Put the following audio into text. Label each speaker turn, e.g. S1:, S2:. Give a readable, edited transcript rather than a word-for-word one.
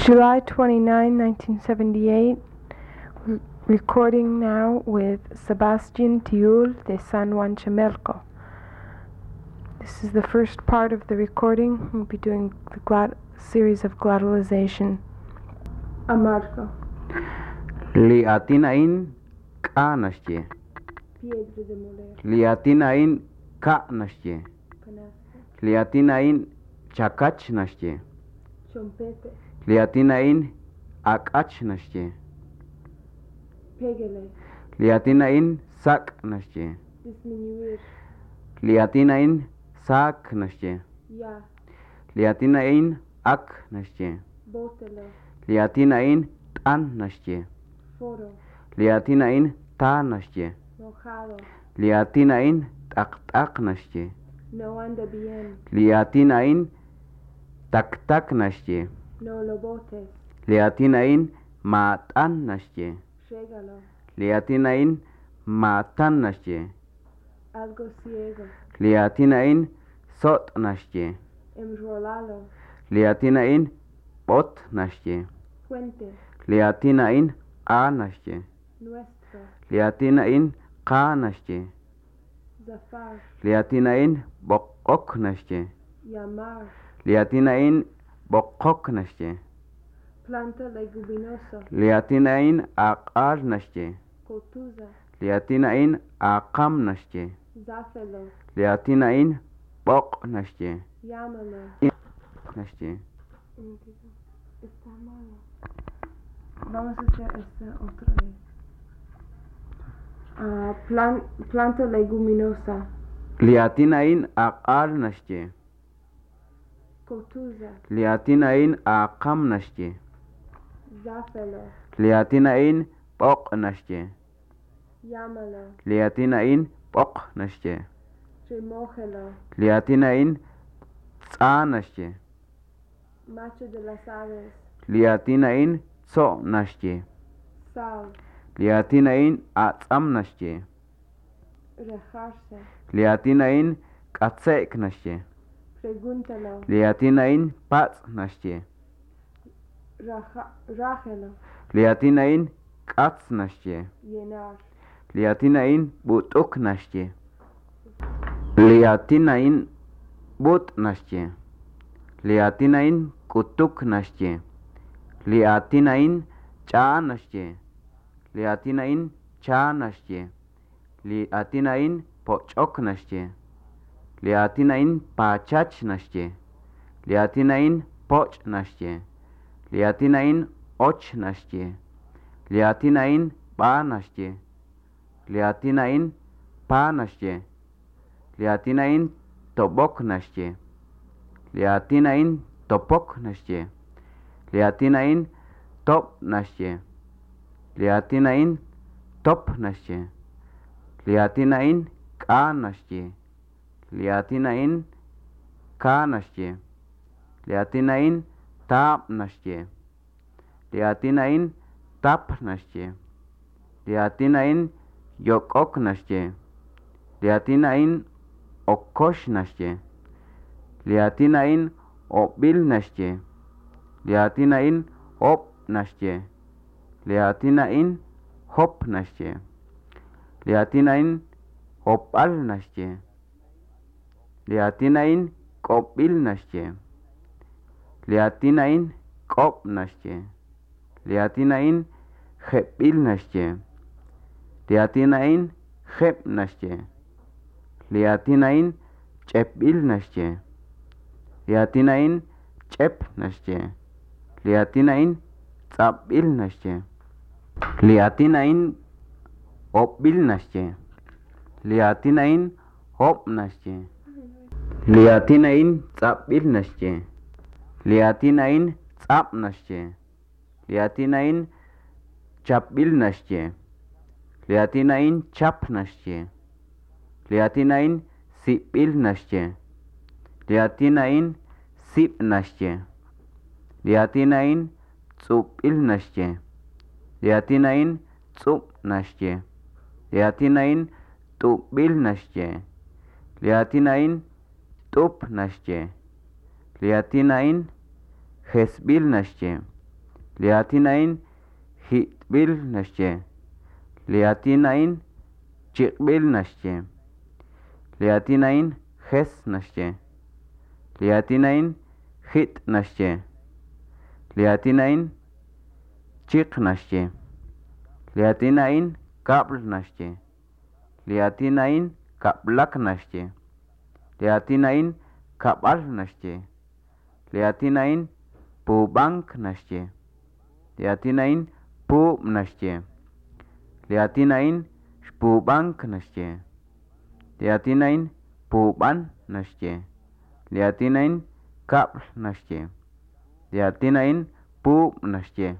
S1: July 29, 1978, recording now with Sebastian Tiul de San Juan Chamelco. This is the first part of the recording. We'll be doing the series of glottalization. Amargo.
S2: Liatinain kanasje.
S1: Piedra de moler.
S2: Liatinain kanasje.
S1: Canasta.
S2: Liatinain chakachnasje.
S1: Chompete.
S2: Liatinain akachnasje.
S1: Pégale.
S2: Liatinain saknasje.
S1: Disminuir.
S2: Liatinain saknasje.
S1: Ya.
S2: Liatinain aknasje.
S1: Bótelo.
S2: Liatinain tannasje.
S1: Foro.
S2: Liatinain tanasje.
S1: Mojado.
S2: Liatinain taktaknasje.
S1: No anda bien.
S2: Liatinain taktaknasje.
S1: No lo botes.
S2: Liatinain matannasje.
S1: Llégalo.
S2: Liatinain matannasje.
S1: Algo ciego.
S2: Liatinain sotnasje.
S1: Enrolalo.
S2: Liatinain botnasje.
S1: Puente.
S2: Liatinain anasje.
S1: Nuestro.
S2: Liatinain kanasje.
S1: Zafar.
S2: Liatinain bokoknasje.
S1: Llamar.
S2: Liatinain bokoknasje.
S1: Planta leguminosa.
S2: Liatinain aqarnasje.
S1: Cotuza.
S2: Liatinain aqamnasje.
S1: Záfelo.
S2: Liatinain boknasje.
S1: Llámalo.
S2: Nasje.
S1: Está malo. Vamos a hacer esta otra vez. Planta leguminosa.
S2: Liatinain aqarnasje.
S1: Cotuza.
S2: Liatinain aqamnasje.
S1: Záfelo.
S2: Liatinain boknasje.
S1: Llámalo.
S2: Liatinain boknasje.
S1: Remójelo.
S2: Liatinain tsanasje.
S1: Macho de las aves.
S2: Liatinain tsonasje.
S1: Sal.
S2: Liatinain atsamnasje.
S1: Rejarse.
S2: Liatinain katseknasje.
S1: Pregúntalo.
S2: Liatinain patsnasje.
S1: Rájelo.
S2: Liatinain katsnasje.
S1: Llenar.
S2: Liatinain butuknasje. Liatinain butnasje. Liatinain kutuknasje. Liatinain chanasje. Liatinain chanasje. Liatinain pochoknasje. Liatinain pachachnasje. Liatinain pochnasje. Liatinain ochnasje. Liatinain banasje. Liatinain panasje. Liatinain toboknasje. Liatinain topoknasje. Liatinain topnasje. Liatinain topnasje. Liatinain kanasje. Liatinain kanasje. Liatinain tapnasje. Liatinain tapnasje. Liatinain yokoknasje. Liatinain okoshnasje. Liatinain obilnasje. Liatinain opnasje. Liatinain hopnasje. Liatinain hopalnasje. Liatinain kopilnasje. Liatinain kopnasje. Liatinain jepilnasje. Liatinain jepnasje. Liatinain chepilnasje. Liatinain chepnasje. Liatinain tsapilnasje. Liatinain opilnasje. Liatinain hopnasje. Liatinain tsapilnasje. Liatinain tsapnasje. Liatinain chapilnasje. Liatinain chapnasje. Liatinain sipilnasje. Liatinain sipnasje. Liatinain tsupilnasje. Liatinain tsupnasje. Liatinain tupilnasje. Liatinain tupnasje. Liatinain jesbilnasje. liatinain hitbil nashche liatinain chikbil nashche liatinain hes nashche liatinain hit nashche liatinain chik nashche liatinain kabl nashche liatinain kablak nashche liatinain kabal nashche liatinain pubank nashche liatinain pub nashche liatinain shpubank nashche liatinain puban nashche liatinain kabl nashche liatinain pub nashche